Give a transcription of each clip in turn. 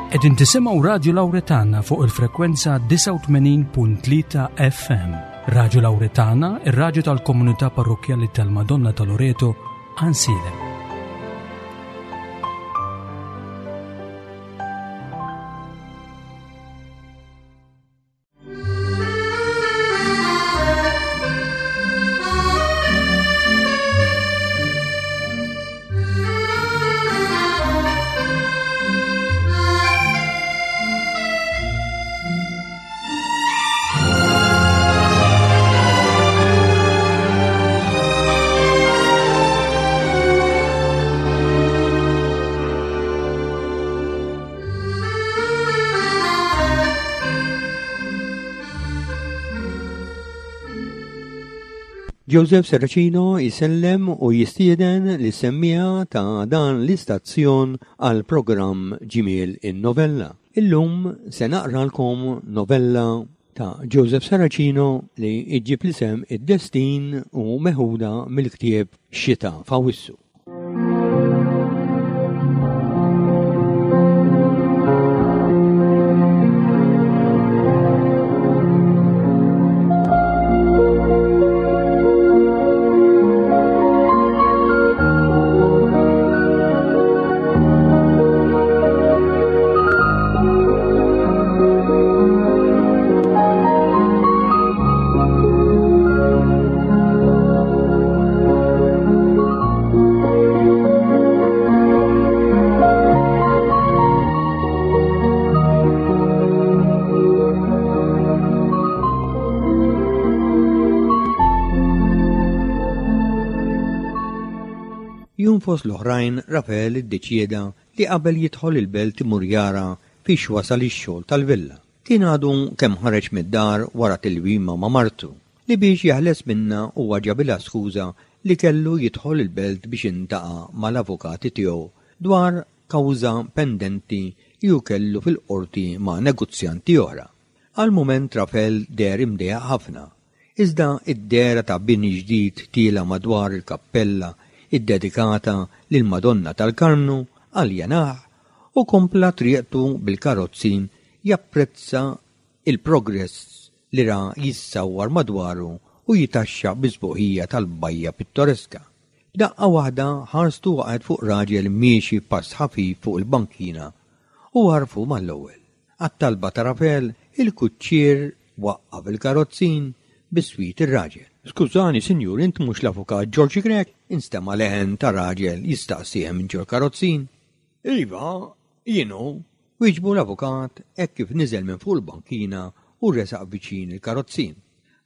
Qegħdin tisimgħu Radju Lawretana fuq il-frekwenza 89.3 FM. Radju Lawretana, ir-radju tal-komunità parrokkjali tal-Madonna ta' Loreto, Ansilem. Joseph Serracino jsellem u jistieden lis-semmiegħa ta' dan l-istazzjon għal programm Ġmiel in-Novella. Illum se naqralkom novella ta' Joseph Serracino li ġġib l-isem Id-Destin u meħuda mill-ktieb Xita f'Awwissu. Jum fost l-oħrajn Rafael iddeċieda li qabel jidħol il-belt imur jara fiex wasal ix-xogħol tal-villa. Kien għadu kemm ħareġ mid-dar wara tilwima ma' martu, li biex jeħles minnha huwa ġabilha skuża li kellu jidħol il-belt biex intaqa' mal-avukati tiegħu dwar kawża pendenti li hu kellu fil-qorti ma' negozjanti oħra. Għal mument Rafel deher imdejjaq ħafna, iżda d-dehra ta' bini ġdid tiela' madwar il-kappella ddedikata lill-Madonna tal-Karmnu aljenah u kompla triqtu bil-karozzin japprezza il-progress li ra jissawwar madwaru u jitaxxaq bis-sbuħija tal-bajja pittoreska. F'daqqa waħda ħarstu waqgħet fuq raġel miexi b'pass ħafif fuq il-bankina u għarfu mal-ewwel. Għat-talba ta' Rafel, il-kuċċier waqqaf il-karozzin biswit ir-raġel. Skużani, sinjur, int mhux l-avukat Ġorġ Grech? Instema' leħen ta' raġel jistaqsih minn ġol-karozzin. Iva, jien hu, wieġbu l-avukat hekk kif niżel minn fuq il-bankina u resaq viċin il-karozzin.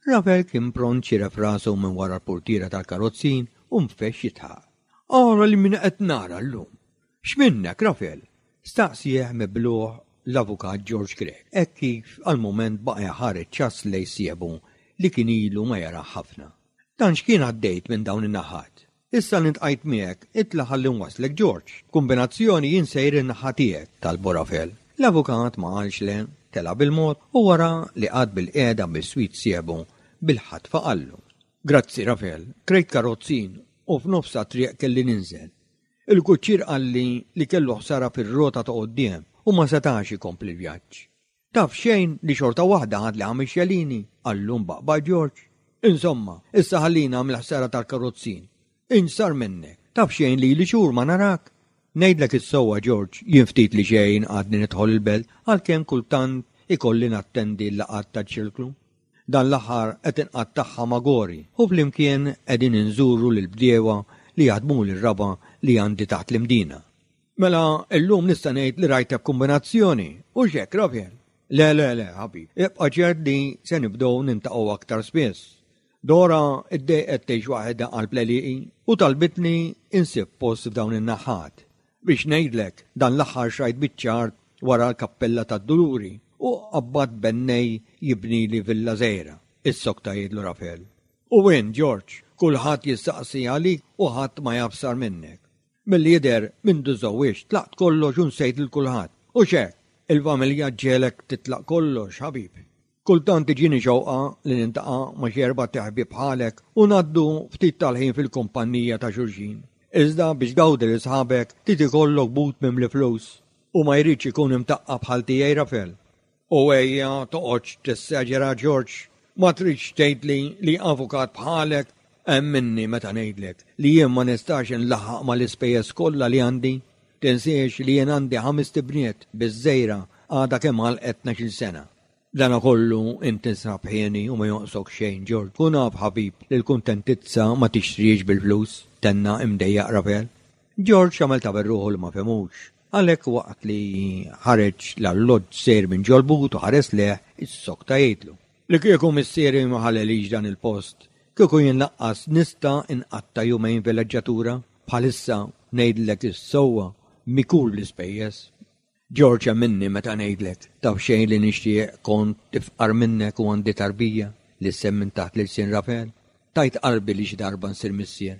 Rafael kien pront xiref rasu minn wara l-purtiera tal-karozzin u nfexx jidħaq. Ara li min qed nara llum! X'minnek, Rafael? staqsieh mibluh l-avukat George Grech, hekk kif għal mument baqa' jħares ċass lejn sieħbu li kien ilu ma jarah ħafna. Dan x'kien għaddejt minn dawn in-naħat? Issa li ntqajt miegħek, itla' ħalli nwasslek George. B'kumbinazzjoni jien sejr in-naħa tiegħek, talbu Rafel. L-avukat ma qalx le, tela' bil-mod u wara li qagħad bilqiegħda biswit sieħbu, bil-ħatfa qallu. Grazzi Rafel, krejt karozzin u f'nofs tat-triq kelli ninżel. Il-kuċċier qalli li kellu ħsara fir-rota ta' quddiem u ma setax ikompli l-vjaġġ. Taf xejn li xorta waħda ħadli ħames xelini, qallu mbaqbaq George. Insomma, issa ħallina mill-ħsara tal-karozzin. Int x'sar minnek? Taf xejn li ili xhur ma narak? Ngħidlek is-sewwa George, jien ftit li xejn għadni nidħol il-belt għalkemm kultant ikolli nattendi l-laqgħat taċ-ċirklu. Dan l-aħħar qed inqattagħha ma' Gori u flimkien qegħdin inżuru lill-bdiewa li jaħdmuli r-raba' li għandi taħt l-Imdina. Mela illum nista' ngħid li rajtek kumbinazzjoni, hux hekk, Rafael? Le, le, le, ħabib, ibqa' ċert li se nibdew nintaqgħu aktar spiss. Dora ddejqet tgħix waħedha qalb l-għelieqi u talbitni insib post f'dawn in-naħat. Biex ngħidlek, dan l-aħħar xrajt biċċa art wara l-Kappella tad-Duluri u qabbadt bennej jibnili villa żgħira, issokta jgħidlu Rafael. U int, George, kulħadd jistaqsi għalik u ħadd ma jaf x'sar minnek. Milli jidher, mindu żżewwiġt, tlaqt kollox u nsejt lil kulħadd. Hux hekk? Il-familja ġġegħlek titlaq kollox, ħabib. Kultant tiġini xewqa li niltaqa' ma' xi erbat iħbieb bħalek u ngħaddu ftit tal-ħin fil-kumpannija ta' xulxin. Iżda biex tgawdi lil sħabek trid ikollok but mimli flus. U ma jridx ikun imtaqqab bħal tiegħi Rafel. U ejja toqgħodx tessaġera George, ma tridx tgħidli li avukat bħalek emminni meta ngħidlek li jien ma nistax inlaħħaq mal-ispejjeż kollha li għandi. Tinsiex li jien għandi ħamest ibniet biż-żgħira għadha kemm għalqet tnax-il sena. B'danakollu int tinsab ħieni u ma jonqsok xejn George. Kun af ħabib li l-kuntentizza ma tixtrihiex bil-flus, tenna imdejjaq Rafel. George għamel ta' berruħu li ma fehmux. Għalhekk waqt li ħareġ l-alloġġ sejr minn ġol-but u ħares lejh, issokta jgħidlu. Li kieku missieri ma ħalelix dan il-post, kieku jien laqqas nista' nqatta' jumejn vileġġatura. Bħalissa, ngħidlek is-sewwa, mikul bl-ispejjeż. George emminni meta ngħidlek, taf xejn li nixtieq kont ifqar minnek u għandi tarbija, lissen minn taħt l-ilsien Rafel. Tajt qalbi li xi darba nsir missier.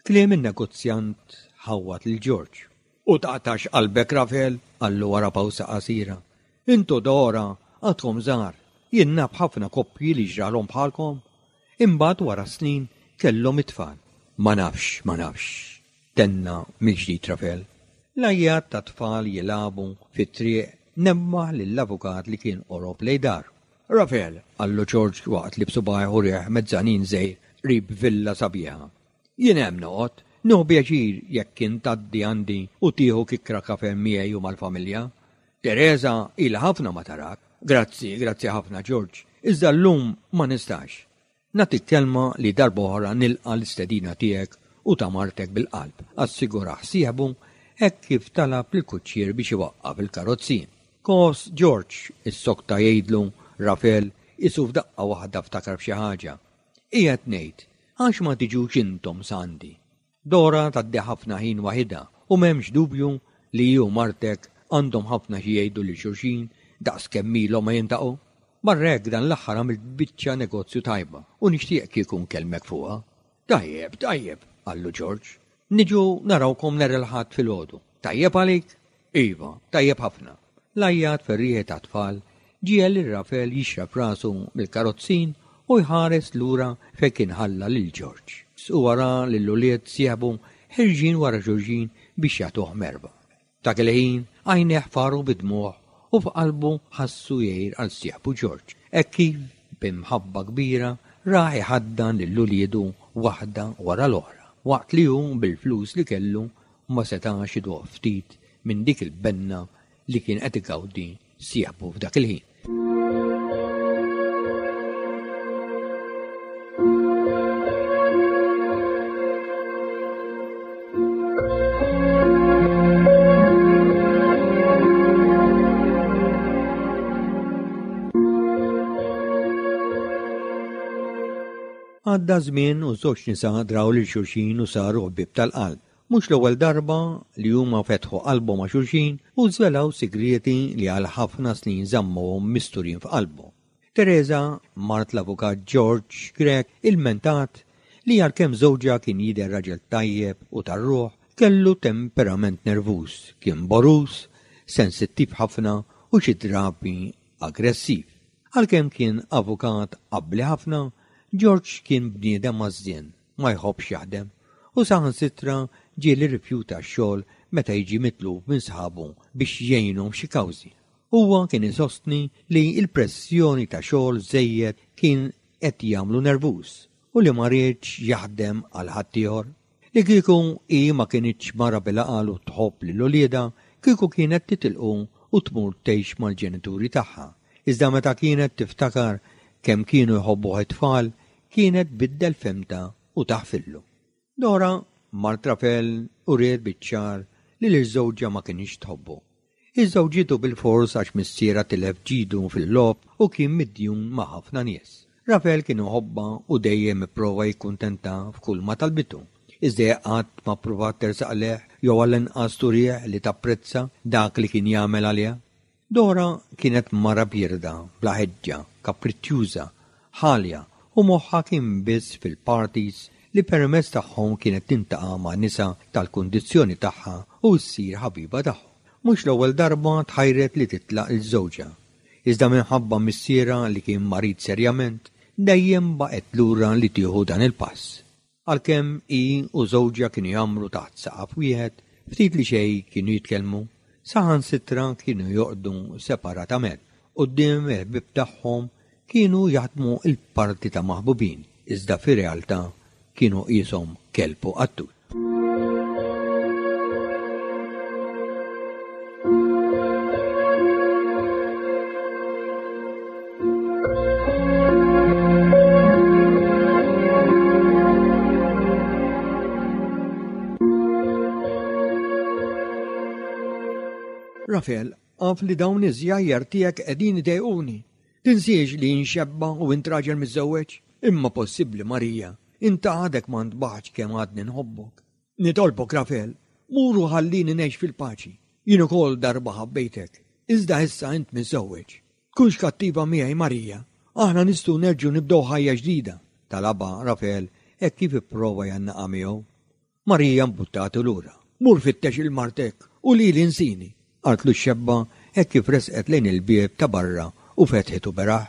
Kliem in-negozjant ħawwad lil George. U taqtax qalbek Rafel, qallu wara pawsa qasira. Int u Dora għadkom żgħar. Jien naf ħafna koppji li ġralhom bħalkom. Imbagħad wara snin kellhom it-tfal. Ma nafx, ma nafx, tenna mill-ġdid Rafel. L-għajjat tat-tfal jilagħbu fit-triq nebbaħ lill-avukat li kien qorob lejn daru. Rafel, qallu George waqt li b'subgħajh urieh mezzanin żgħir qrib villa sabiħa. Jien hemm noqgħod. Nieħu pjaċir jekk int tgħaddi għandi u tieħu kikkra kafè miegħi u mal-familja. Teresa ilha ħafna ma tarak. Grazzi, grazzi ħafna George, iżda llum ma nistax. Nagħtik kelma li darba oħra nilqa' l-istedina tiegħek u ta' martek bil-qalb, assigurah sieħbu hekk kif talab lill-kuċċier biex iwaqqaf il-karozzin. Kos George, issokta jgħidlu Rafel qisu f'daqqa waħda ftakar f'xi ħaġa. Qiegħed ngħid, għax ma tiġux intom s'għandi? Dora tgħaddi ħafna ħin waħidha u m'hemmx dubju li hi u martek għandhom ħafna xi jgħidu lil xulxin daqs kemm ilhom ma jintaqgħu. Barra hekk dan l-aħħar għamilt biċċa negozju tajba u nixtieq kieku nkellmek fuqha. Tajjeb, tajjeb, qallu George. Niġu narawkom nhar il-Ħadd filgħodu. Tajjeb għalik? Iva, tajjeb ħafna. L-għajjat ferrieħi tat-tfal ġiegħel lil Rafel jixref rasu mill-karozzin u jħares lura fejn kien ħalla lil George. Huwa ra lill-ulied sieħbu ħerġin wara xulxin biex jagħtuh merħba. Dak il-ħin għajnejh faru bid-dmugħ u f'qalbu ħassu jgħir għal sieħbu George, hekk kif b'imħabba kbira rah iħaddan lil uliedu waħda wara l-oħra, waqt li hu bil-flus li kellu ma setax iduq ftit minn dik il-benna li kien qed igawdi sieħbu f'dak il-ħin. Għadda żmien u żewġ nisa draw lil xulxin u saru ħbieb tal-qalb. Mhux l-ewwel darba li huma fetħu qalbhom ma' xulxin u żvelaw sigrieti li għal ħafna snin żammuhom misturin f'qalbhom. Tereża, mart l-avukat George Grech, ilmentat li għalkemm żewġha kien jidher raġel tajjeb u tar-ruħ, kellu temperament nervuż, kien boruż, sensittiv ħafna u xi drabi aggressiv. Għalkemm kien avukat abbli ħafna, George kien bniedem għażżien. ma jħobbx jaħdem u saħansitra ġieli rrifjuta x-xogħol meta jiġi mitlub minn sħabu biex jgħinhom f'xi kawżi. Huwa kien isostni li l-pressjoni ta' xogħol żejjed kien qed jagħmlu nervuż u li ma riedx jaħdem għal ħaddieħor. Li kieku hi ma kinitx mara bil-għaqal u tħobb lil uliedha, kieku kienet titilqu u tmur tgħix mal-ġenituri tagħha. Iżda meta kienet tiftakar kemm kienu jħobbuh it-tfal, kienet tbiddel fehmtha u taħfillu. Dora, mart Rafel, uriet biċ-ċar li lil żewġha ma kinitx tħobbu. Iżżewġitu bilfors għax missierha tilef ġidu fil-logħob u kien midjun ma' ħafna nies. Rafel kien iħobbha u dejjem ipprova jikkuntentha f'kull ma talbitu. Iżda hi qatt ma ppruvat tersaq lejh jew għall-inqas turih li tapprezza dak li kien jagħmel għaliha. Dora kienet mara bierda, bla ħeġġa, kapriċċjuża, ħalja u moħħha kien biss fil-parties li permezz tagħhom kienet tintaqa' ma' nisa tal-kundizzjoni tagħha u ssir ħabiba tagħhom. Mhux l-ewwel darba tħajret li titlaq 'il żewġha, iżda minħabba missierha li kien marid serjament, dejjem baqgħet lura li tieħu dan il-pass. Għalkemm hi u żewġha kienu jgħammru taħt saqaf wieħed, ftit li xejn kienu jitkellmu. Saħansitra kienu jorqdu separatament. Quddiem il-ħbieb tagħhom kienu jaħdmu l-parti ta' maħbubin, iżda fir-realtà kienu qieshom kelb u qattus. Rafel, af li dawn iż-żjajjar tiegħek qegħdin idejquni. Tinsiex li jien xebba u int raġel miżżewweġ? Imma possibbli, Marija, int għadek ma ntbaħtx kemm għadni nħobbok. Nitolbok, Rafel, mur u ħallini ngħix fil-paċi. Jien ukoll darba ħabbejtek, iżda issa int miżżewweġ. Tkunx kattiva miegħi, Marija. Aħna nistgħu nerġgħu nibdew ħajja ġdida, talabha Rafel hekk kif ipprova jgħannaqha miegħu. Marija mbuttatu lura. Mur fittex 'il martek u lili nsini, qaltlu x-xebba hekk kif resqet lejn il-bieb ta' barra u fetħitu beraħ.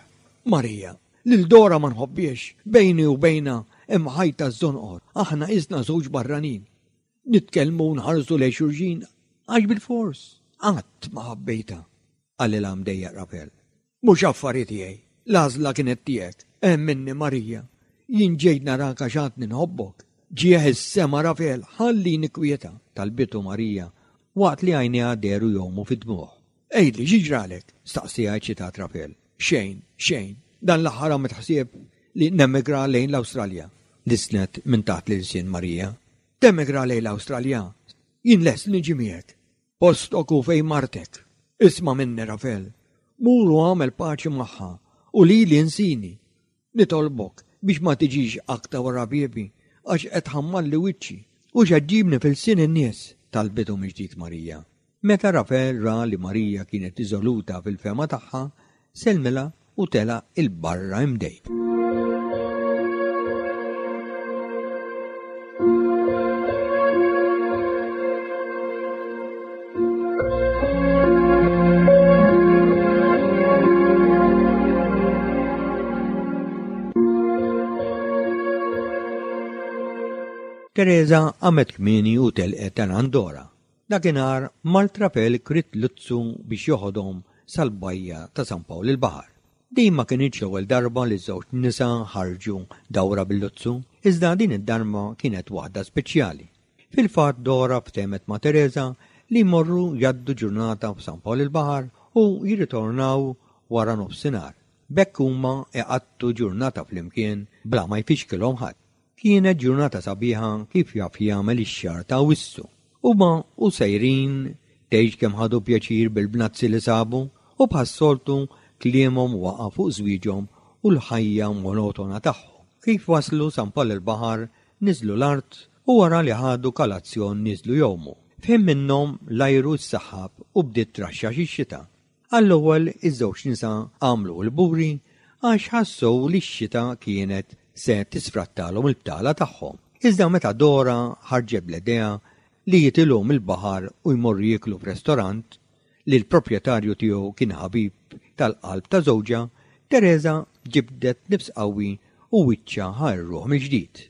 Marija, lil Dora ma nħobbhiex, bejni u bejnha hemm ħajta żżonqor, aħna qisna żewġ barranin. Nitkellmu u nħarsu lejn xulxin għax bilfors. Qatt ma ħabbejtha, qalilha mdejjaq Rafel. Mhux affari tiegħi. L-għażla kienet tiegħek. Emminni Marija. Jien ġejt narak għax għadni nħobbok. Ġieħ is-sema Rafel, ħallini kwieta, talbitu Marija waqt li għajnejha dehru jgħumu fid-dmugħ. Għidli, xi ġralek? staqsieha eċċitat Rafel. Xejn, xejn. Dan l-aħħar għamilt ħsieb li nemigra lejn l-Awstralja. Lissnet minn taħt l-ilsien Marija. Temigra lejn l-Awstralja? Jien lest li niġi miegħek. Postok hu fejn martek. Isma' minni, Rafel. Mur u agħmel paċi magħha u lili insini. Nitolbok biex ma tiġix aktar wara biebi għax qed tħammarli wiċċi u x'qed ġġibni f'ilsien in-nies, talbitu mill-ġdid Marija. Meta Rafel ra li Marija kienet riżoluta fil-fehma tagħha, sellmilha u telaq 'il barra imdejq. Teresa qamet kmieni u telqet għal Andorra. Dakinhar mart Rafel kriet luzzu biex joħodhom sal-bajja ta' San Pawl il-Baħar. Din ma kinitx l-ewwel darba li ż-żewġ nisa ħarġu dawra bil-luzzu, iżda din id-darba kienet waħda speċjali. Fil-fatt Dora ftehmet ma' Teresa li jmorru jgħaddu ġurnata f'San Pawl il-Baħar u jirritornaw wara nofsinhar. B'hekk huma iqattgħu ġurnata flimkien bla ma jfixkilhom ħadd. Kienet ġurnata sabiħa kif jaf jagħmel ix-xahar ta' Awwissu. Huma u sejrin tgħidx kemm ħadu pjaċir bil-bnazzi li sabu u bħas-soltu kliemhom waqa' fuq żwieġhom u l-ħajja monotona tagħhom. Kif waslu San Pawl il-Baħar niżlu l-art u wara li ħadu kalazzjon niżlu jgħumu. F'ħin minnhom l-ajru ssaħħab u bdiet traxxax ix-xita. Għall-ewwel iż-żewġ nisa għamlu l-buri għax ħassew li x-xita kienet se tisfrattalhom il-btala tagħhom. Iżda meta Dora ħarġet bl-idea li jitilgħu mill-baħar u jmorru jieklu f'restorant, li l-proprjetarju tiegħu kien ħabib tal-qalb ta' żewġha, Tereża ġibdet nifs qawwi u wiċċha ħa r-ruħ mill-ġdid.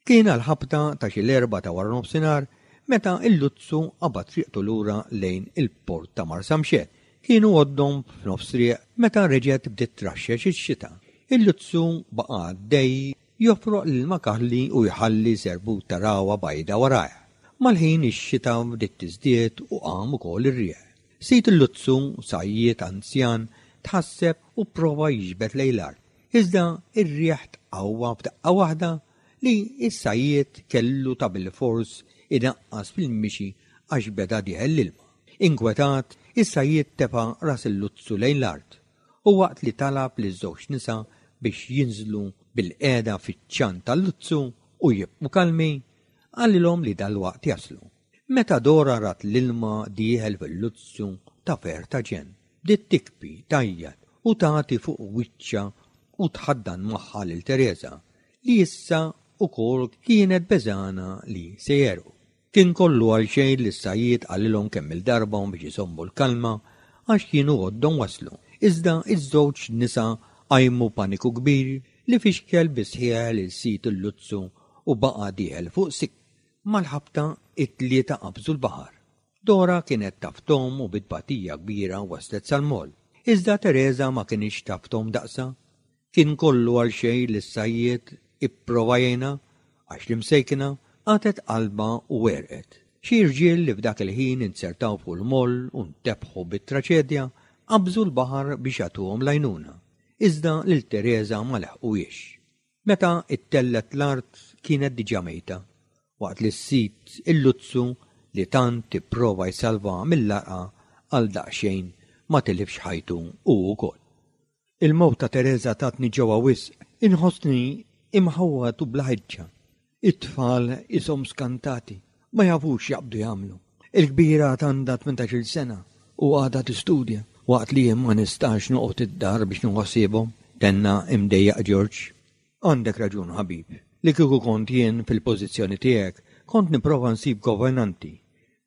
Kien għall-ħabta ta' xi l-erbgħa ta' waranofsinhar meta l-luzzu qabad triqtu lura lejn il-port ta' Marsamxett. Kienu għoddhom f'nofs triq meta reġgħet bdiet traxxex ix-xita. Il-luzzu baqa' għaddej jofroq l-ilma kaħli u jħalli serbut ta' ragħwa bajda warajh. Mal-ħin ix-xita bdiet tiżdied u qam ukoll ir-riħ. Sid il-luzzu, sajjied anzjan, tħasseb u pprova jiġbed lejn l-art. Iżda r-riħ tqawwa f'daqqa waħda li s-sajjied kellu ta' bilfors inaqqas fil-mixi għax beda dieħel l-ilma. Inkwetat, is-sajjied tefa' ras il-luzzu lejn l-art u waqt li talab liż-żewġ nisa biex jinżlu bilqiegħda fiċ-ċan tal-luzzu u jibqu kalmi, qalilhom li dalwaqt jaslu. Meta Dora rat l-ilma dieħel fil-luzzu ta' ferħ ta' ġenn, bdiet tikbi, tgħajjat u tagħti fuq wiċċha u tħaddan magħha lil Tereża, li issa wkoll kienet beżgħana li se jegħrqu. Kien kollu għalxejn li s-sajjied qalilhom kemm-il darba biex iżommu l-kalma għax kienu għoddhom waslu. Iżda ż-żewġ nisa qajmu paniku kbir li fixkel bis-sħiħ lil sid il-luzzu u baqa' dieħel fuq sikk. Mal-ħabta, it-tlieta qabżu l-baħar. Dora kienet taf tgħum u bi tbatija kbira waslet sal-moll. Iżda Tereża ma kinitx taf tgħum daqsha. Kien kollu għal xejn li s-sajjied ipprova jgħinha għax l-imsejkna qatgħet qalbha u għerqet. Xi rġiel li f'dak il-ħin inzertaw fuq il-moll u ntebħu bit-traċedja qabżu l-baħar biex jagħtuhom l-għajnuna, iżda lil Tereża ma leħquhiex. Meta ttellgħet l-art kienet diġà mejta, waqt li s-sid il-luzzu li tant ipprova jsalvaha mill-għarqa għal daqsxejn ma tilifx ħajtu hu wkoll. Il-mewt ta' Tereża tatni ġewwa wisq. Inħossni imħawwad u bla ħeġġa. It-tfal qishom skantati, ma jafux x'jaqbdu jagħmlu. Il-kbira għad għandha tmintax-il sena u għadha tistudja, waqt li jien ma nistax noqgħod id-dar biex nieħu ħsiebhom, tenna imdejjaq George. Għandek raġun, ħabib. Li kieku kont jien fil-pożizzjoni tiegħek, kont nipprova nsib governanti.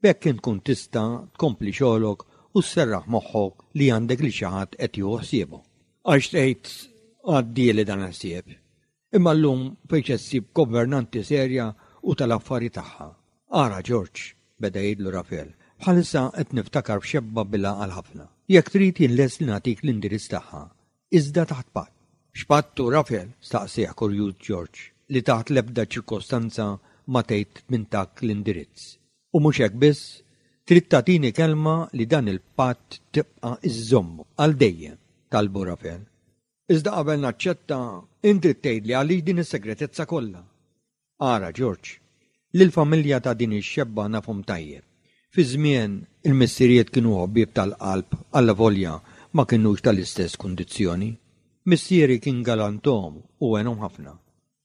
B'hekk int tkun tista' tkompli xogħlok u sserraħ moħħok li għandek lil xi ħadd qed jieħu ħsiebhom. Għax tgħid għaddieli dan il-ħsieb. Imma llum fejn se ssib governanti serja u tal-affari tagħha? Ara, George, beda jgħidlu Rafel, bħalissa qed niftakar f'xebba bil-għaqal ħafna. Jekk trid jien lest li nagħtik l-indirizz tagħha, iżda taħt patt. X'patt hu, Rafel? staqsieh kurjuż George, li taħt l-ebda ċirkostanza ma tgħid min tak l-indirizz. U mhux hekk biss, trid tagħtini kelma li dan il-patt tibqa' iżżommu għal dejjem, talbu Rafel. Iżda qabel naċċetta, int trid tgħidli għaliex din is-segretezza kollha. Ara, George, lill-familja ta' din ix-xebba nafhom tajjeb. Fi żmien il-missirijiet kienu ħbieb tal-qalb allavolja ma kinux tal-istess kundizzjoni. Missieri kien galantom u għenhom ħafna.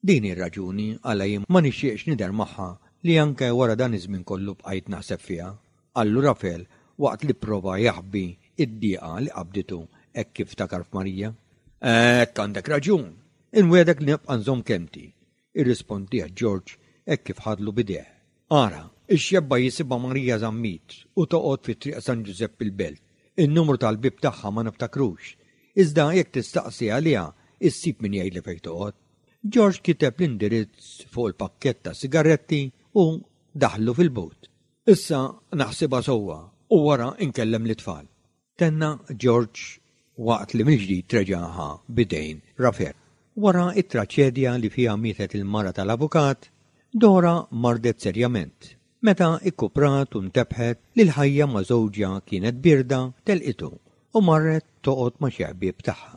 Din hi r-raġuni għala jien ma nixtieqx nidher magħha li anke wara dan iż-żmien kollu bqajt naħseb fiha, qallu Rafel waqt li pprova jaħbi d-dieqa li qabditu hekk kif ftakar f'Marija. Hekk għandek raġun! Inwiegħdek li nibqa' nżomm kelmti, irrispondieh George hekk kif ħadlu b'idejh. Ara, ix-xebba jisimha Marija Zammit u toqgħod fi Triq San Ġużepp il-Belt. In-numru tal-bieb tagħha ma niftakrux, iżda jekk tistaqsi għaliha issib min jgħidlek fejn toqgħod. George kiteb l-indirizz fuq il-pakkett ta' sigaretti u daħħlu fil-but. Issa naħsibha sewwa u wara nkellem lit-tfal. Tenna George waqt li mill-ġdid reġa' ħa b'idejn Rafel. Wara t-traċedja li fiha mietet il-mara tal-avukat, Dora mardet serjament. Meta ikkuprat u ntebħet li l-ħajja ma' żewġha kienet bierda, telqitu u marret toqgħod ma' xi ħbieb tagħha.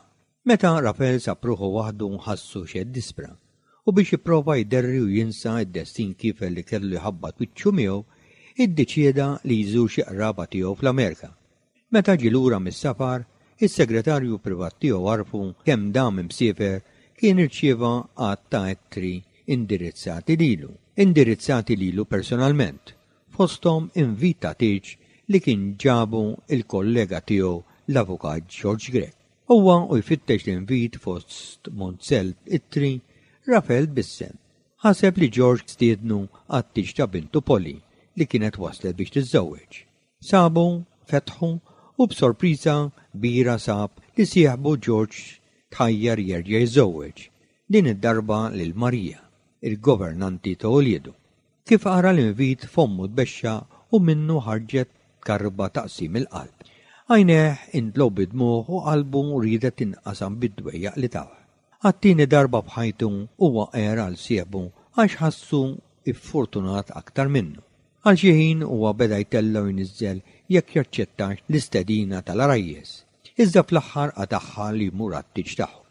Meta Rafel sab ruħu waħdu ħassu xi ddispra, u biex jipprova jderri u jinsa d-destin kiefer li kellu jħabbat wiċċu miegħu, iddeċieda li jżur xi qraba tiegħu fl-Amerika. Meta ġie lura mis-safar, is-segretarju privat tiegħu għarrfu kemm dam imsiefer kien irċieva għadd ta' ittri indirizzati lilu, indirizzati lilu personalment, fosthom invit ta' tieġ li kien ġabu l-kollega tiegħu l-Avukat George Grech. Huwa u jfittex l-invit fost munzell ittri, Rafel tbissem. Ħaseb li George stiednu għat-tieġ ta' bintu Polly li kienet waslet biex tiżżewweġ. Sabu, fetħu u b'sorpriża kbira sab li sieħbu George tħajjar jerġa' jiżżewweġ, din id-darba lil Maria, il-governanti ta' uliedu. Kif qara l-invit fommu tbexxaq u minnu ħarġet karba ta' qsim il-qalb. Għajnejh intlew bid-dmugħ u qalbu riedet tinqasam bid-dwejjaq li tawh. Għat-tieni darba f'ħajtu huwa għer għal sieħbu għax ħassu ffortunat aktar minnu. Għal xi ħin huwa beda jtella' u jniżżel jekk jaċċettax l-istedina tal-għarajjes. Iżda fl-aħħar qatagħha li jmur għat-tieġ tagħhom.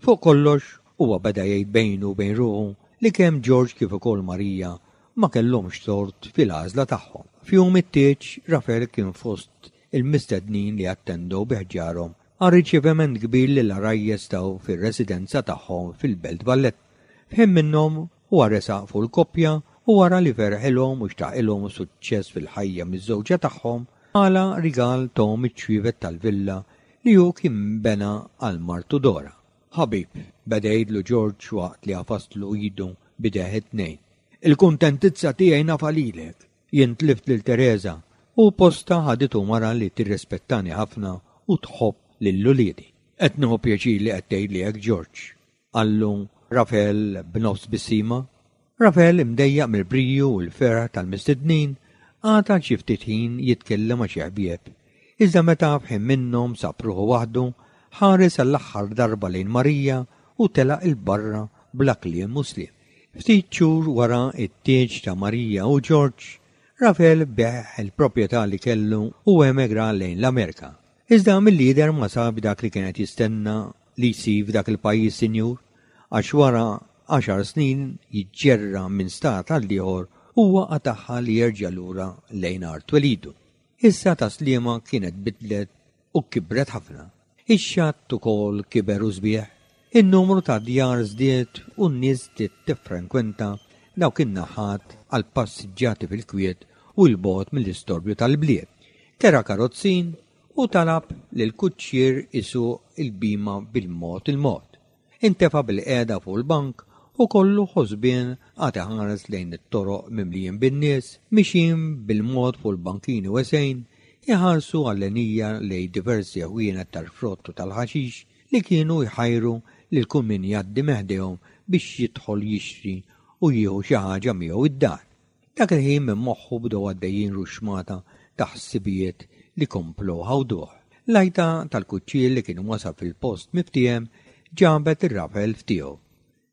Fuq kollox, huwa beda jgħid bejnu u bejn ruħu li kemm George kif ukoll Marija ma kellhomx tort fil-għażla tagħhom. F'jum it-tieġ, Rafel kien fost il-mistednin li attendew bi ħġarhom għar-riċeviment kbir li l-għarajjes taw fir-residenza tagħhom fil-Belt Valletta. F'ħin minnhom, huwa resaq fuq il-koppja u wara li ferħilhom u xtaqilhom suċċess fil-ħajja miżżewġa tagħhom, Bħala rigal tahom iċ-ċwievet tal-villa li hu kien bena għal martu Dora. Ħabib, beda jgħidlu George waqt li għafaslu idu b'idejh it-tnejn. Il-kuntentizza tiegħi nafha lilek. Jien tlift lil Tereża u postha ħaditu mara li tirrispettani ħafna u tħobb lil uliedi. Qed nieħu pjaċir li qed tgħidli hekk George. Qallu Rafel b'nofs tbissima. Rafel, imdejjaq mill-briju u l-ferħ tal-mistednin, Qagħad għal xi ftit ħin jitkellem ma' xi ħbieb, iżda meta f'ħin minnhom sab ruħu waħdu, ħares għall-aħħar darba lejn Marija u telaq 'il barra bla kliem u sliem. Ftit xhur wara t-tieġ ta' Marija u George, Rafael biegħ il-proprjetà li kellu u emigra lejn l-Amerika. Iżda milli jidher ma sabx dak li kien qed jistenna li jsib f'dak il-pajjiż sinjur, għax wara għaxar snin jiġġerra minn stat għal ieħor huwa qatagħha li jerġa' lura lejn art twelidu. Issa Tas-Sliema kienet bidlet u kibret ħafna. Ix-xatt ukoll kiber u sbieħ. In-numru ta' djar żdied u n-nies bdiet tiffrenkwenta dawk in-naħat għal passiġġati fil-kwiet u 'l bogħod mill-istorbju tal-bliet. Kera karozzin u talab lill-kuċċier isuq il-bhima bil-mod il-mod. Intefa' bilqiegħda fuq il-bank u kollu ħosbien qagħad iħares lejn it-toroq mimlijin bin-nies, mixjin bil-mod fuq il-bankini wesgħin, iħarsu għallenija lejn diversi ħwienet tal-frott u tal-ħaxix li kienu jħajru lil kull min jgħaddi minn ħdejhom biex jidħol jixtri u jieħu xi ħaġa miegħu id-dar. Dak il-ħin minn moħħu bdew għaddejjin ruxxmata ta' ħsibijiet li komplew ħawduh. L-għajta tal-kuċċier li kien wasal fil-post miftiehem ġabet lil Rafael f'tiegħu.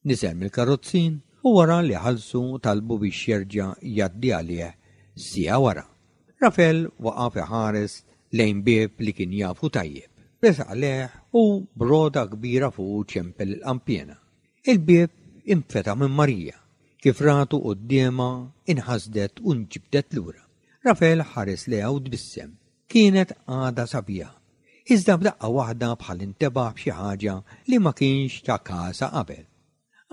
Niżel mill-karozzin u wara li ħallsu talbu biex jerġa' jgħaddi għalih siegħa wara. Rafael waqaf iħares lejn bieb li kien jafu tajjeb. Resaq lejh u b'roda kbira fuqu ċempel il-qanpiena. Il-bieb infetaħ minn Marija. Kif ratu quddiemha, inħasdet u nġibdet lura. Rafael ħares lejha u tbissem. Kienet għadha sabiħa. Iżda f'daqqa waħda bħal intebaħ b'xi ħaġa li ma kienx ta kasha qabel.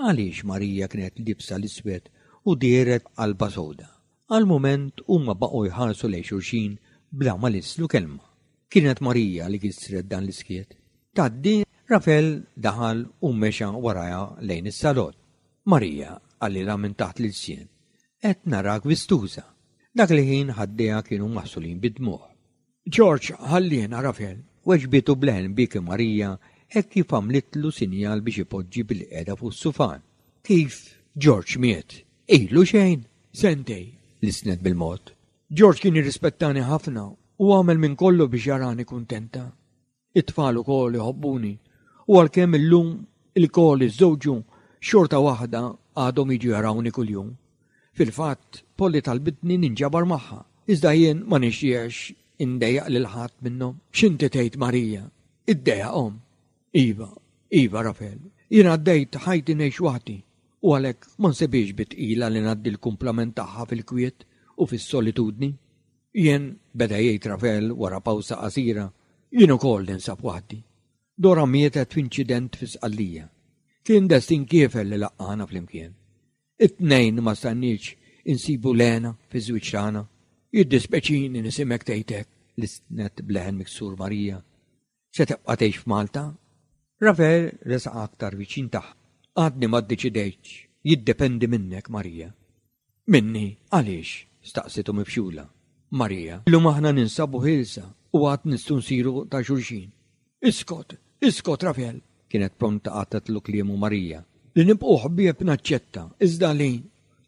Għaliex Marija kienet liebsa l-iswed u dehret b'qalbha sewda? Għal mument huma baqgħu jħarsu lejn xulxin bla ma lisslu kelma. Kienet Marija li kisret dan l-iskiet. Tgħaddi? Rafel daħal u mexa warajha lejn is-salott. Marija, qalilha minn taħt l-ilsien, qed narak vistuża. Dak il-ħin ħaddejha kienu maħsulin bid-dmugħ. George, ħalliena, Rafel, weġbitu b'leħen biki Marija hekk kif għamlitlu sinjal biex ipoġġi bilqiegħda fuq is-sufan. Kif George miet? Ilu xejn? Sentej, lissnet bil-mod. George kien jirrispettani ħafna u għamel minn kollu biex jarani kuntenta. It-tfal ukoll iħobbuni u għalkemm illum ilkoll iżżewġu xorta waħda għadhom jiġu jarawni kuljum. Fil-fatt, Polly talbitni ninġabar magħha, iżda jien ma nixtieqx indejjaq lil ħadd minnhom. X'inti tgħid Marija? Iddejjaqhom? Iva, iva Rafel, jien għaddejt ħajti ngħix waħdi u għalhekk ma nsibhiex bi tqila li ngħaddi l-kumplament tagħha fil-kwiet u fis-solitudni. Jien, beda jgħid Rafel wara pawsa qasira, jien ukoll ninsab waħdi. Dora mietet f'inċident fi Sqallija. Kien destin kiefer li laqqagħna flimkien. It-tnejn ma stajniex insibu l-hena fiż-żwieġ tagħna. Jiddispeċini nisimgħek tgħid hekk, lissnet b'leħen miksur Marija. Se tibqa' tgħix f'Malta? Rafael resaq aktar viċin tagħha. Għadni ma ddeċidejtx. Jiddependi minnek, Marija. Minni? Għaliex? staqsitu mifxula. Marija, illum aħna ninsabu ħielsa u għad nistgħu nsiru ta' xulxin. Iskot! Iskot, Rafael! Kienet pronta qatgħetlu kliemu Marija. Li nibqgħu ħbieb naċċetta, iżda li.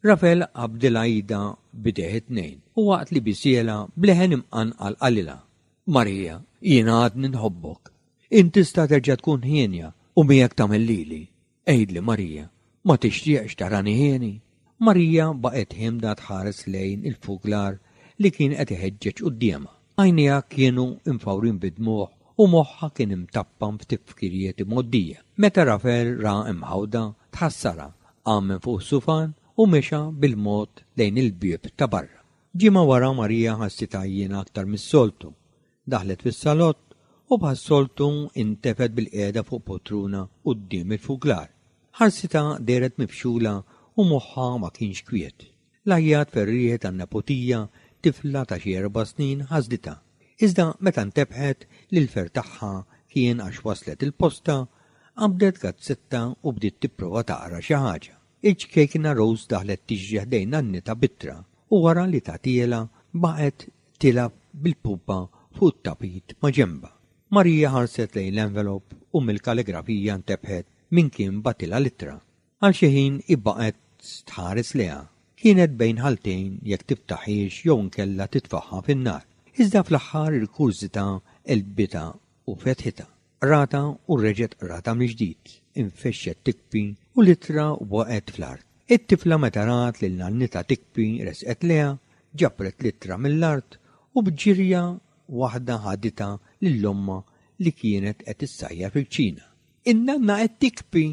Rafael qabdilha idha b'idejh it-tnejn u waqt li bisielha b'leħen imqanqal qalilha, Marija, jiena għadni nħobbok. Int tista' terġa' tkun hienja u miegħek tagħmel lili. Għidli, Marija, ma tixtieqx tarani hieni? Marija baqgħet ħiemda tħares lejn il-fuklar li kien qed iħeġġeġ quddiemha. Għajnejha kienu mfawrin bid-dmugħ u moħħha kien imtappan f'tifkirijiet imgħoddija. Meta Rafael ra imħawda, tħassarha, qam minn fuq is-sufan u mexa bil-mod lejn il-bieb ta' barra. Ġimgħa wara Marija ħassitha għajjiena aktar mis-soltu. Daħlet fis-salott u bħas-soltu intefgħet bilqiegħda fuq poltruna quddiem il-fuklar. Ħarsitha dehret mifxula u moħħha ma kienx kwiet. L-għajjat ferrieħi tan-neputija, tifla ta' xi erba' snin, ħasditha. Iżda meta ntebħet li l-ferħ tagħha kien għax waslet il-posta, qabdet gazzetta u bdiet tipprova taqra xi ħaġa. Il-ċkejkna Rose daħlet tiġri ħdejn nannitha b'ittra u wara li tagħtielha baqgħet tilgħab bil-pupa fuq it-tapit maġenbha. Marija ħarset lejn l-envelop u mill-kaligrafija ntebħet min kien bagħtilha l-ittra. Għal xi ħin hi baqgħet tħares lejha. Kienet bejn ħaltejn jekk tiftaħhiex jew inkella titfagħha fin-nar. Iżda fl-aħħar il-kurżità għelbitha u fetħitha. Qratha u reġgħet qratha mill-ġdid. Infexxet tikbi u l-ittra waqgħet fl-art. It-tifla meta rat lil nannitha tikbi resqet lejha, ġabret l-ittra mill-art u b'ġirja waħda ħaditha lil ommha li kienet qed issajjar fil-kċina. In-nanna qed tikbi!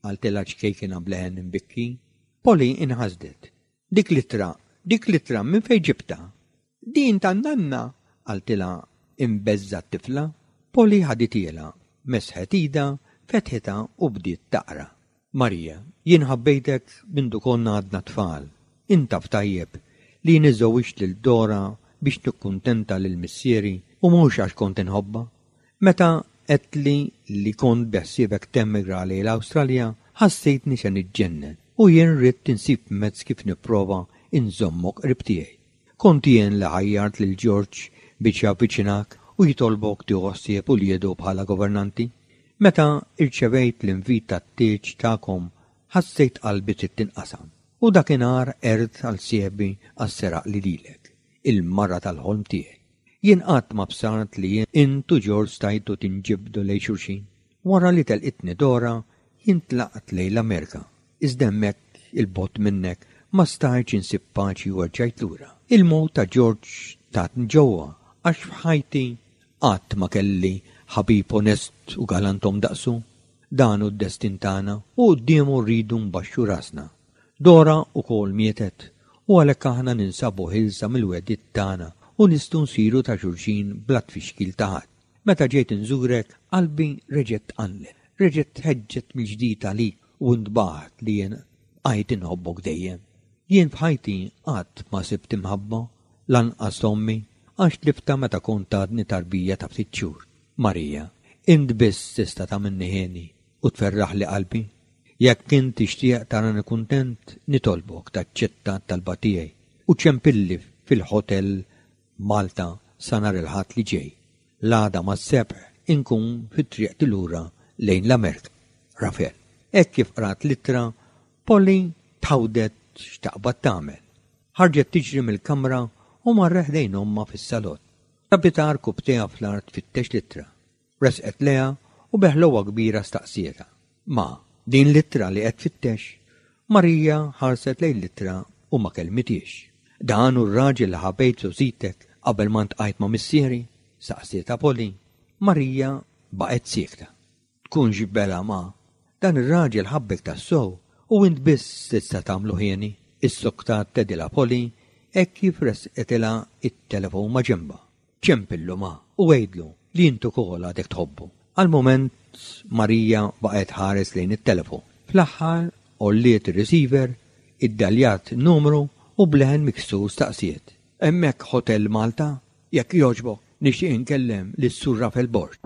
qaltilha ċkejkina b'leħen imbikki. Polly inħasdet. Dik l-ittra, dik l-ittra minn fejn ġibtha? Din tan-nanna! qaltilha imbeżżgħa t-tifla. Polly ħadithielha, mesħet idha, fetħitha u bdiet taqra. Marija, jien ħabbejtek mindu konna għadna tfal. Int taf tajjeb li jien iżżewwiġt lil Dora biex nikkuntenta lil missieri u mhux għax kont inħobbha. Meta għedtli li kont beħsiebek temigra lejn l-Awstralja, ħassejtni se niġġennen u jien ridt insib mezz kif nipprova nżommok qrib tiegħi. Kont jien li ħajjart lil George biex javviċinak u jitolbok tieħu ħsieb uliedu bħala governanti. Meta rċevejt l-invit tat-tieġ tagħkom ħassejt qalbi trid tinqasam u dakinhar għert għal sieħbi għax seraqli lilek, il-mara tal-ħolm tiegħi. Jien qatt ma bsart li int u George stajtu tinġibdu lejn xulxin. Wara li telqitni Dora, jien tlaqt lejn l-Amerika. Iżda hemmhekk, 'il bogħod minnek, ma stajtx insib paċi u erġajt lura. Il-mewt ta' George tatni ġewwa għax f'ħajti qatt ma kelli ħabib onest u galantom daqsu. Dan hu d-destin tagħna u quddiemu rridu nbaxxu rasna. Dora wkoll mietet u għalhekk aħna ninsabu ħielsa mill-wegħdiet tagħna u nistgħu nsiru ta' xulxin bla tfixkil ta' ħadd. Meta ġejt inżurek, qalbi reġgħet tqanqlet, reġgħet tħeġġet mill-ġdid għalik u ntbaħt li jien bqajt inħobbok dejjem. Jien f'ħajti qatt ma sibt imħabba, lanqas t'ommi, għax tliftha meta kont għadni tarbija ta' ftit xhur. Marija, int biss tista' tagħmilni hieni u tferraħli qalbi. Jekk int tixtieq tarani kuntent, nitolbok taċċetta t-talba tiegħi u ċempilli fil-Hotel Malta sa nhar il-Ħadd li ġej. L-għada mas-sebħ inkun fi triqti lura lejn l-Amerka. Rafel. Hekk kif qrat l-ittra, Polly tħawdet x'taqbad tagħmel. Ħarġet tiġri mill-kamra u marret ħdejn ommha fis-salott. Sabitha rkubbtejha fl-art tfittex l-ittra. Resqet lejha u bi ħlewwa kbira staqsietha, Ma, din l-ittra li qed tfittex? Marija ħarset lejn l-ittra u ma kellmithiex. Dan hu r-raġel li ħabejt f'żgħożitek qabel ma ntqajt ma' missieri? staqsietha Polly. Marija baqgħet siekta. Tkunx bela, ma. Dan ir-raġel ħabbek tassew u int biss tista' tagħmlu ħieni, issoktat tgħidilha Polly hekk kif ressqitilha t-telefon maġenbha. Ċempillu ma u għidlu li int ukoll għadek tħobbu. Għal mument Marija baqgħet tħares lejn it-telefon. Fl-aħħar għolliet ir-receiver, iddaljat numru u b'leħen miksur staqsiet. Hemmhekk Hotel Malta? Jekk jogħġbok, nixtieq inkellem lis-Sur Rafel Borg.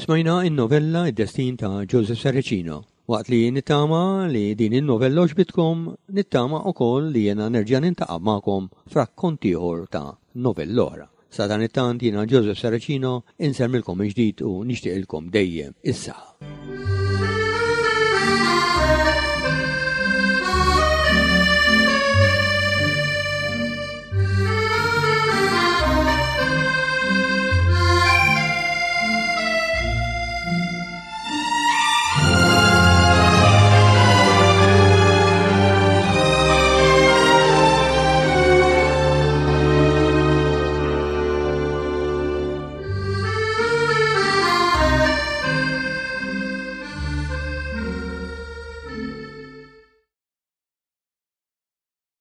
Smajna in-novella Id-Destin ta' Joseph Saracino. Waqt li nittama li din in-novella għoġbitkom, nittama ukoll li jiena nerġa' nintaqa' magħkom f'rakkont ieħor ta' novella oħra. Sadanittant jiena Joseph Saracino insellmilkom mill-ġdid u nixtieqilkom dejjem is-saħħa.